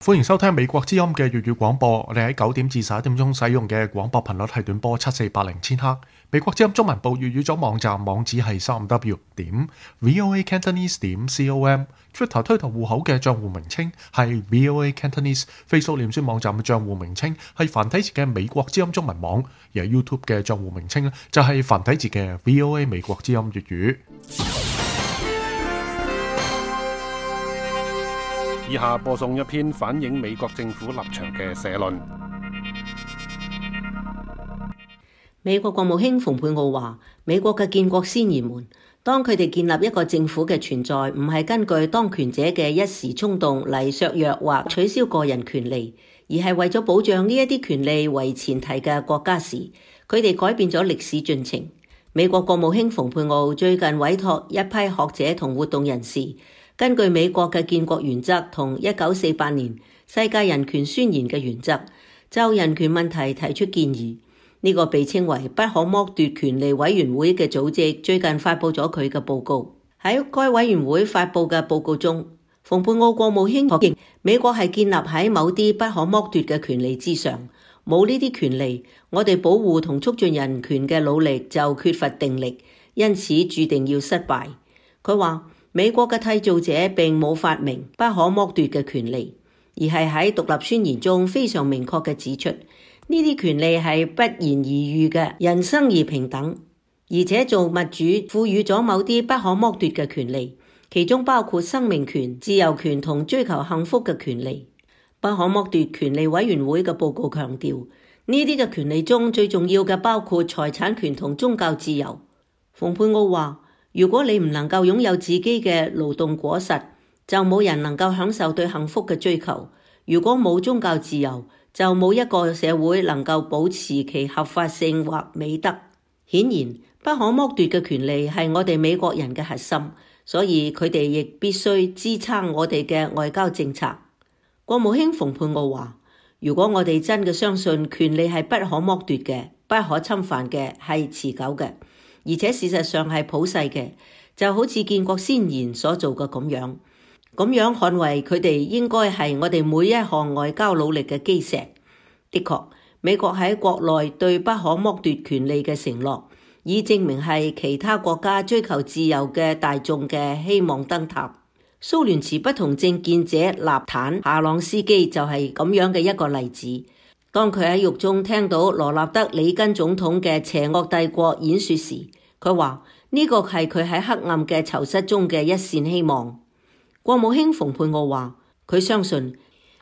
歡迎收聽美國之音嘅粵語廣播。我哋喺9點至11點鐘使用嘅廣播頻率係短波7480千赫。美國之音中文部粵語組網站網址係3w.voacantonese.com。Twitter 推特戶口嘅賬戶名稱係 VOA Cantonese。Facebook 臉書網站嘅賬戶名稱係繁體字嘅美國之音中文網，而 YouTube 嘅賬戶名稱咧就係繁體字嘅 VOA 美國之音粵語。以下播送一篇反映美國政府立場嘅社論。美國國務卿蓬佩奧話：美國嘅建國先賢們，當佢哋建立一個政府嘅存在，唔係根據當權者嘅一時衝動嚟削弱或取消個人權利，而係為咗保障呢一啲權利為前提嘅國家時，佢哋改變咗歷史進程。美國國務卿蓬佩奧最近委託一批學者同活動人士，根據美國嘅建國原則同1948年世界人權宣言嘅原則，就人權問題提出建議。呢個被稱為不可剝奪權利委員會嘅組織最近發布咗佢嘅報告。喺該委員會發布嘅報告中，蓬佩奧國務卿確認美國係建立喺某啲不可剝奪嘅權利之上，冇呢啲權利，我哋保護同促進人權嘅努力就缺乏定力，因此注定要失敗。佢話美國嘅締造者並冇發明不可剝奪嘅權利，而係喺獨立宣言中非常明確嘅指出，呢啲權利係不言而喻嘅，人生而平等，而且造物主賦予咗某啲不可剝奪嘅權利，其中包括生命權、自由權同追求幸福嘅權利。不可剝奪權利委員會嘅報告強調，呢啲嘅權利中最重要嘅包括財產權同宗教自由。蓬佩奧話：如果你唔能夠擁有自己嘅勞動果實，就冇人能夠享受對幸福嘅追求。如果冇宗教自由，就冇一個社會能夠保持其合法性或美德。顯然，不可剝奪嘅權利係我哋美國人嘅核心，所以佢哋亦必須支撐我哋嘅外交政策。國務卿蓬佩奧話：如果我哋真嘅相信權利係不可剝奪嘅、不可侵犯嘅、係持久嘅，而且事實上係普世嘅，就好似建國先賢所做嘅咁樣捍衛佢哋應該係我哋每一項外交努力嘅基石。的確，美國喺國內對不可剝奪權利嘅承諾，已證明係其他國家追求自由嘅大眾嘅希望燈塔。蘇聯持不同政見者納坦夏朗斯基就係咁樣嘅一個例子。當佢喺獄中聽到羅納德里根總統嘅邪惡帝國演說時，佢話呢個係佢喺黑暗嘅囚室中嘅一線希望。國務卿蓬佩奧話：佢相信，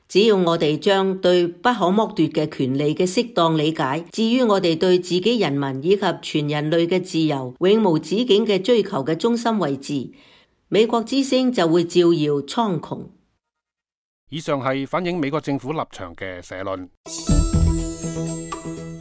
只要我哋將對不可剝奪嘅權利嘅適當理解，至於我哋對自己人民以及全人類嘅自由永無止境嘅追求嘅中心位置，美國之聲就會照耀蒼穹。以上係反映美國政府立場嘅社論。